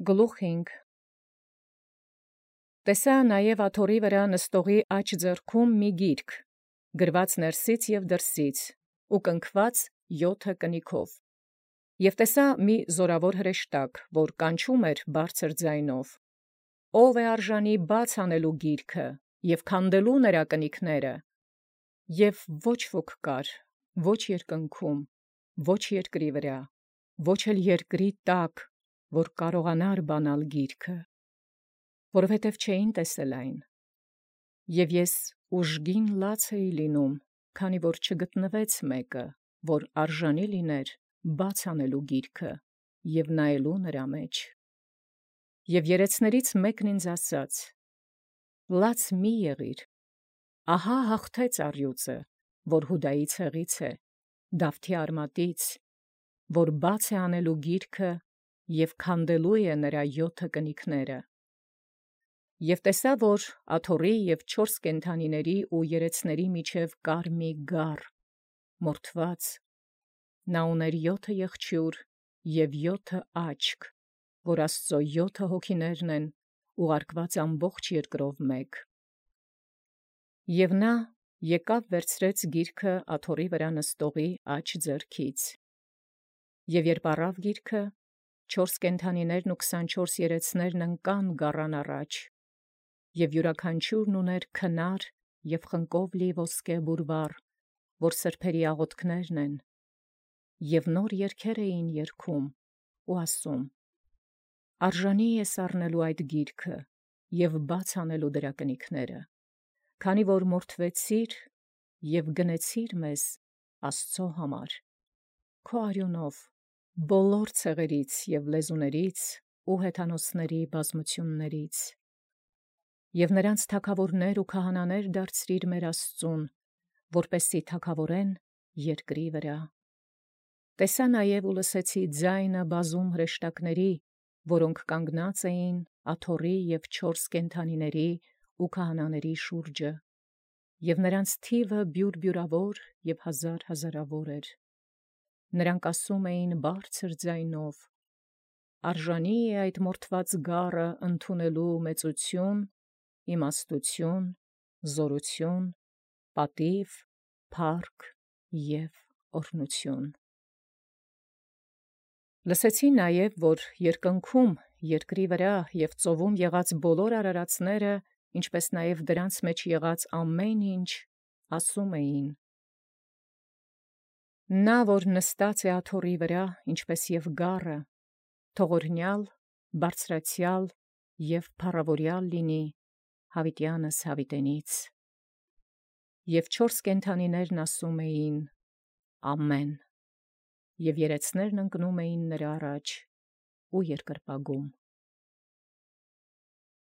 Գլուխ 5 Տեսա նաև աթոռի վրա նստողի աջ ձեռքում մի գիրք, գրված ներսից և դրսից, ու կնքված 7 կնիքով. և տեսա մի զորավոր հրեշտակ, որ կանչում էր բարձր ձայնով. «Ո՞վ է արժանի բաց անելու գիրքը և քանդելու նրա կնիքները»։ Եվ ոչ ոք կար, ոչ երկնքում, ոչ երկրի վրա, ոչ էլ երկրի տակ, որ կարողանար բանալ գիրքը, որովհետև չէին տեսել այն։ Եվ ես ուժգին լաց էի լինում, քանի որ չգտնվեց մեկը, որ արժանի լիներ բաց անելու գիրքը և նայելու նրա մեջ։ Եվ երեցներից մեկն ինձ ասաց. «Լաց մի եղիր, ահա հաղթեց առյուծը, որ Հուդայի ցեղից է, Դավթի արմատից, որ բաց է անելու գիրքը և քանդելու է նրա 7 կնիքները»։ Եւ տեսա, որ աթոռի և 4 կենդանիների ու երեցների միջև կար մի գառ, մորթված. նա ուներ 7 եղջյուր և 7 աչք, որ Աստուծոյ 7 հոգիներն են, ուղարկված ամբողջ երկրով մեկ։ Եւ նա եկավ վերցրեց գիրքը աթոռի վրա նստողի աջ ձեռքից։ Եւ երբ առավ գիրքը, 4 կենդանիներն ու 24 երեցներն ընկան գառան առաջ, և յուրաքանչյուրն ուներ քնար և խնկով լի ոսկե բուրվառ, որ սրբերի աղոթքներն են, և նոր երգեր էին երգում ու ասում. «Արժանի ես առնելու այդ գիրքը և բաց անելու դրա կնիքները, քանի որ մորթվեցիր և գնեցիր մեզ Աստուծո համար, քո արյունով բոլոր ցեղերից և լեզուներից ու հեթանոսների բազմություններից, և նրանց թագավորներ ու քահանաներ դարձրիր մեր Աստծուն, որպեսզի թագավորեն երկրի վրա»։ Տեսա նաև ու լսեցի ձայնը բազում հրեշտակների, որոնք կանգնած էին աթոռի և 4 կենդանիների ու քահանաների շուրջը, և նրանց թիվը բյուրբյուրավոր և հազար հազարավոր էր։ Նրանք ասում էին բարձր ձայնով. «Արժանի է այդ մորթված գառը ընդունելու մեծություն, իմաստություն, զորություն, պատիվ, փառք և օրհնություն»։ Լսեցի նաև, որ երկնքում, երկրի վրա և ծովում եղած բոլոր արարածները, ինչպես նաև դրանց մեջ եղած ամեն ինչ, ասում էին. «Նա, որ նստած է աթոռի վրա, ինչպես և գառը, թող օրհնյալ, բարձրացյալ և փառաւորյալ լինի յաւիտեանս յաւիտենից»։ Եւ 4 կենդանիներն ասում էին. «Ամեն»։ Եւ երեցներն ընկնում էին նրա առաջ ու երկրպագում։